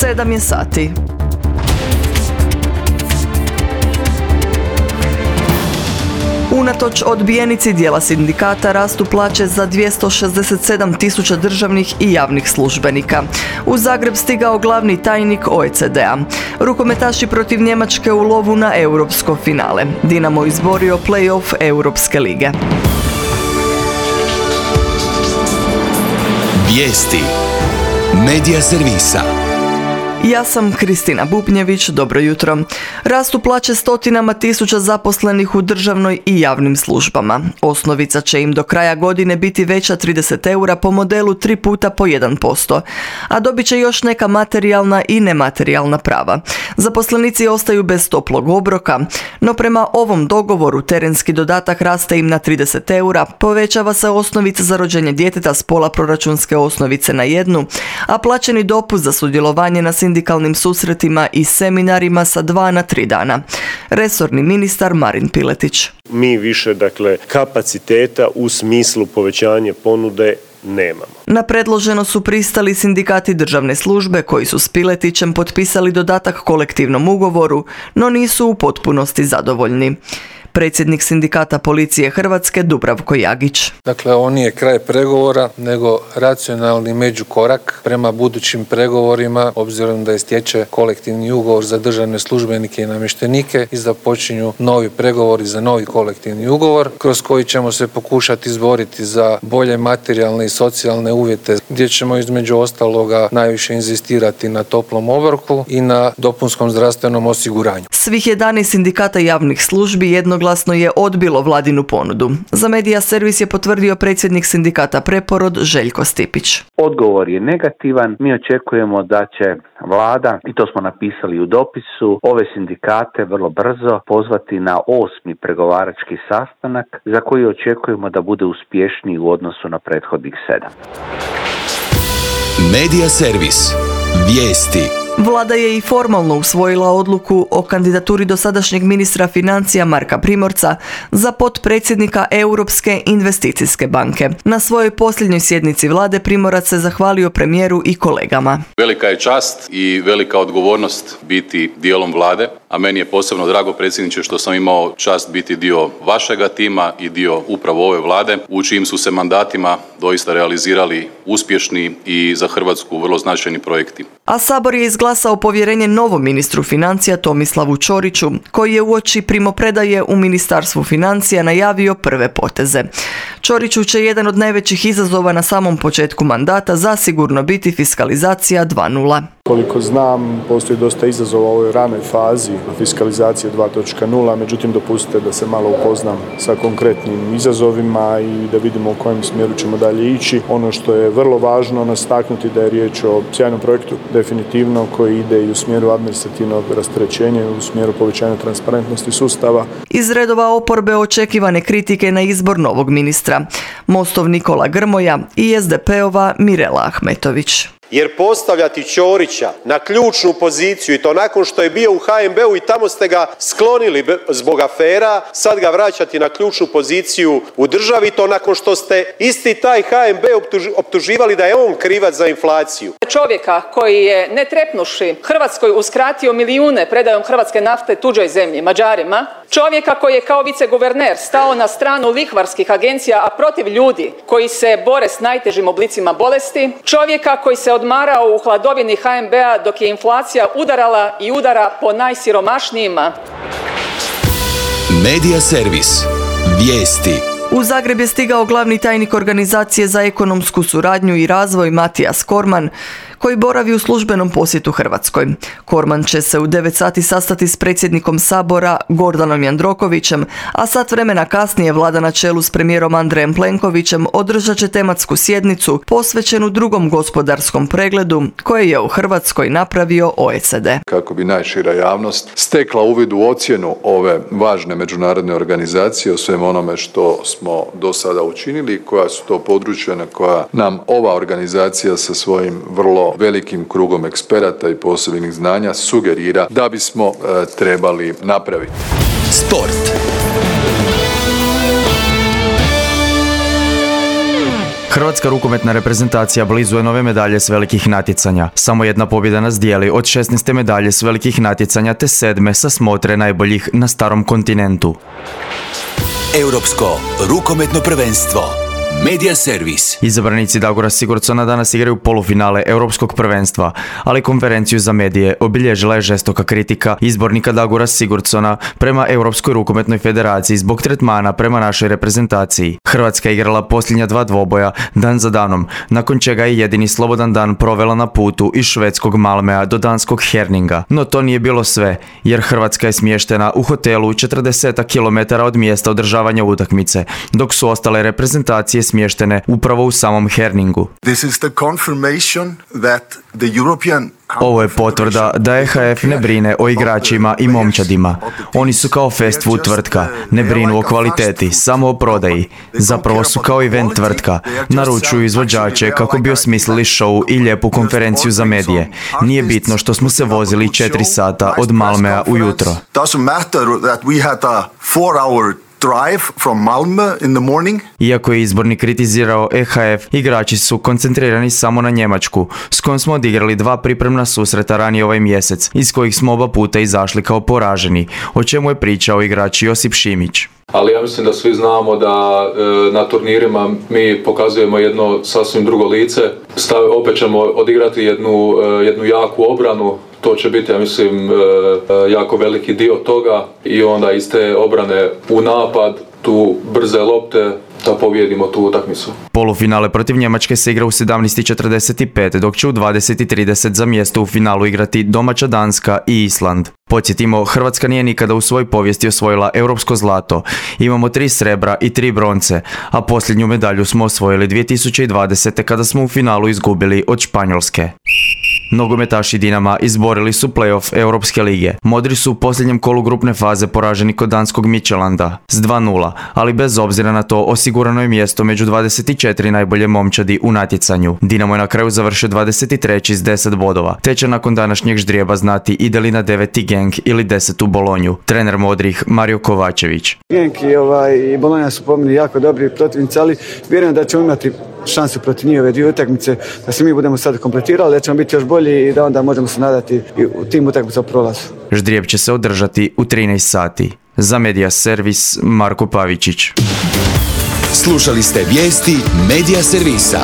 7 je sati. Unatoč odbijenici dijela sindikata rastu plaće za 267.000 državnih i javnih službenika. U Zagreb stigao glavni tajnik OECD-a. Rukometaši protiv Njemačke u lovu na europsko finale. Dinamo izborio play-off Europske lige. Vijesti Medija servisa. Ja sam Kristina Bubnjević, dobro jutro. Rastu plaće stotinama tisuća zaposlenih u državnoj i javnim službama. Osnovica će im do kraja godine biti veća 30 eura po modelu 3 puta po 1%, a dobit će još neka materijalna i nematerijalna prava. Zaposlenici ostaju bez toplog obroka, no prema ovom dogovoru terenski dodatak raste im na 30 eura, povećava se osnovica za rođenje djeteta s pola proračunske osnovice na 1, a plaćeni dopust za sudjelovanje na sindikalnim susretima i seminarima sa 2 na 3 dana. Resorni ministar Marin Piletić. Mi više, kapaciteta u smislu povećanja ponude nemamo. Na predloženo su pristali sindikati državne službe koji su s Piletićem potpisali dodatak kolektivnom ugovoru, no nisu u potpunosti zadovoljni. Predsjednik sindikata policije Hrvatske Dubravko Jagić. Ovo nije kraj pregovora, nego racionalni međukorak prema budućim pregovorima, obzirom da istječe kolektivni ugovor za državne službenike i namještenike i započinju novi pregovori za novi kolektivni ugovor, kroz koji ćemo se pokušati izboriti za bolje materijalne i socijalne uvjete, gdje ćemo između ostaloga najviše inzistirati na toplom obroku i na dopunskom zdravstvenom osiguranju. Svih 11 sindikata javnih službi jednoglasno je odbilo vladinu ponudu. Za Medija servis je potvrdio predsjednik sindikata Preporod Željko Stipić. Odgovor je negativan. Mi očekujemo da će vlada, i to smo napisali u dopisu, ove sindikate vrlo brzo pozvati na 8. pregovarački sastanak za koji očekujemo da bude uspješniji u odnosu na prethodnih 7. Medija servis. Vijesti. Vlada je i formalno usvojila odluku o kandidaturi dosadašnjeg ministra financija Marka Primorca za potpredsjednika Europske investicijske banke. Na svojoj posljednjoj sjednici vlade Primorac se zahvalio premijeru i kolegama. Velika je čast i velika odgovornost biti dijelom vlade, a meni je posebno drago, predsjedniče, što sam imao čast biti dio vašega tima i dio upravo ove vlade, u čijim su se mandatima doista realizirali uspješni i za Hrvatsku vrlo značajni projekti. A Sabor je izglasao povjerenje novom ministru financija Tomislavu Ćoriću, koji je uoči primopredaje u Ministarstvu financija najavio prve poteze. Ćoriću će jedan od najvećih izazova na samom početku mandata zasigurno biti fiskalizacija 2.0. Koliko znam, postoji dosta izazova u ovoj ranoj fazi fiskalizacije 2.0, međutim dopustite da se malo upoznam sa konkretnim izazovima i da vidimo u kojem smjeru ćemo dalje ići. Ono što je vrlo važno nastaknuti da je riječ o sjajnom projektu, definitivno, koji ide i u smjeru administrativnog rasterećenja i u smjeru povećanja transparentnosti sustava. Iz redova oporbe očekivane kritike na izbor novog ministra. Mostov Nikola Grmoja i SDP-ova Mirela Ahmetović. Jer postavljati Ćorića na ključnu poziciju i to nakon što je bio u HNB-u i tamo ste ga sklonili zbog afera, sad ga vraćati na ključnu poziciju u državi, to nakon što ste isti taj HNB optuživali da je on krivac za inflaciju. Čovjeka koji je ne trepnuši Hrvatskoj uskratio milijune predajom hrvatske nafte tuđoj zemlji, Mađarima, čovjeka koji je kao viceguverner stao na stranu lihvarskih agencija, a protiv ljudi koji se bore s najtežim oblicima bolesti, čovjeka koji se odmarao u hladovini HNB-a dok je inflacija udarala i udara po najsiromašnijima. Medija servis. Vijesti. U Zagreb je stigao glavni tajnik Organizacije za ekonomsku suradnju i razvoj Matijas Korman, koji boravi u službenom posjetu Hrvatskoj. Korman će se u 9 sati sastati s predsjednikom Sabora Gordanom Jandrokovićem, a sat vremena kasnije vlada na čelu s premijerom Andrejem Plenkovićem održat će tematsku sjednicu posvećenu drugom gospodarskom pregledu koje je u Hrvatskoj napravio OECD. Kako bi najšira javnost stekla uvid u ocjenu ove važne međunarodne organizacije o svem onome što smo do sada učinili, koja su to područja na koja nam ova organizacija sa svojim vrlo velikim krugom eksperata i posebnih znanja sugerira da bismo trebali napraviti. Sport. Hrvatska rukometna reprezentacija blizu je nove medalje s velikih natjecanja. Samo jedna pobjeda nas dijeli od 16. medalje s velikih natjecanja te 7. sa smotre najboljih na starom kontinentu. Europsko rukometno prvenstvo. Media Servis. Izabranici Dagora Sigurdsona danas igraju polufinale Europskog prvenstva, ali konferenciju za medije obilježila je žestoka kritika izbornika Dagora Sigurdsona prema Europskoj rukometnoj federaciji zbog tretmana prema našoj reprezentaciji. Hrvatska je igrala posljednja 2 dvoboja dan za danom, nakon čega je jedini slobodan dan provela na putu iz švedskog Malmea do danskog Herninga. No to nije bilo sve, jer Hrvatska je smještena u hotelu 40 km od mjesta održavanja utakmice, dok su ostale reprezentacije smještene upravo u samom Herningu. Ovo je potvrda da EHF ne brine o igračima i momčadima. Oni su kao fast food tvrtka, ne brinu o kvaliteti, samo o prodaji. Zapravo su kao event tvrtka, naručuju izvođače kako bi osmislili show i lijepu konferenciju za medije. Nije bitno što smo se vozili 4 sata od Malmea ujutro. Drive from Malmö in the morning. Iako je izbornik kritizirao EHF, igrači su koncentrirani samo na Njemačku, s kojom smo odigrali 2 pripremna susreta ranije ovaj mjesec, iz kojih smo oba puta izašli kao poraženi, o čemu je pričao igrač Josip Šimić. Ali ja mislim da svi znamo da na turnirima mi pokazujemo jedno sasvim drugo lice. Opet ćemo odigrati jednu jaku obranu. To će biti, ja mislim, jako veliki dio toga i onda iz te obrane u napad, tu brze lopte, da pobijedimo tu utakmicu. Polufinale protiv Njemačke se igra u 17:45, dok će u 20:30 za mjesto u finalu igrati domaća Danska i Island. Podsjetimo, Hrvatska nije nikada u svojoj povijesti osvojila europsko zlato. Imamo 3 srebra i 3 bronce, a posljednju medalju smo osvojili 2020. kada smo u finalu izgubili od Španjolske. Nogometaši Dinama izborili su play-off Europske lige. Modri su u posljednjem kolu grupne faze poraženi kod danskog Midtjylanda s 2:0, ali bez obzira na to osigurano je mjesto među 24 najbolje momčadi u natjecanju. Dinamo je na kraju završio 23. s 10 bodova, te će nakon današnjeg ždrijeba znati ide li na 9. Genk ili 10. Bolonju. Trener modrih Mario Kovačević. Genk i Bolonja su po meni jako dobri protivnici, ali vjerujem da ćemo imati šansu protiv njih ove 2 utakmice, da se mi budemo sad kompletirali, da ćemo biti još bolji i da onda možemo se nadati u tim utakmicama prolazu. Ždrijeb će se održati u 13 sati. Za Media Servis, Marko Pavičić. Slušali ste vijesti Media Servisa.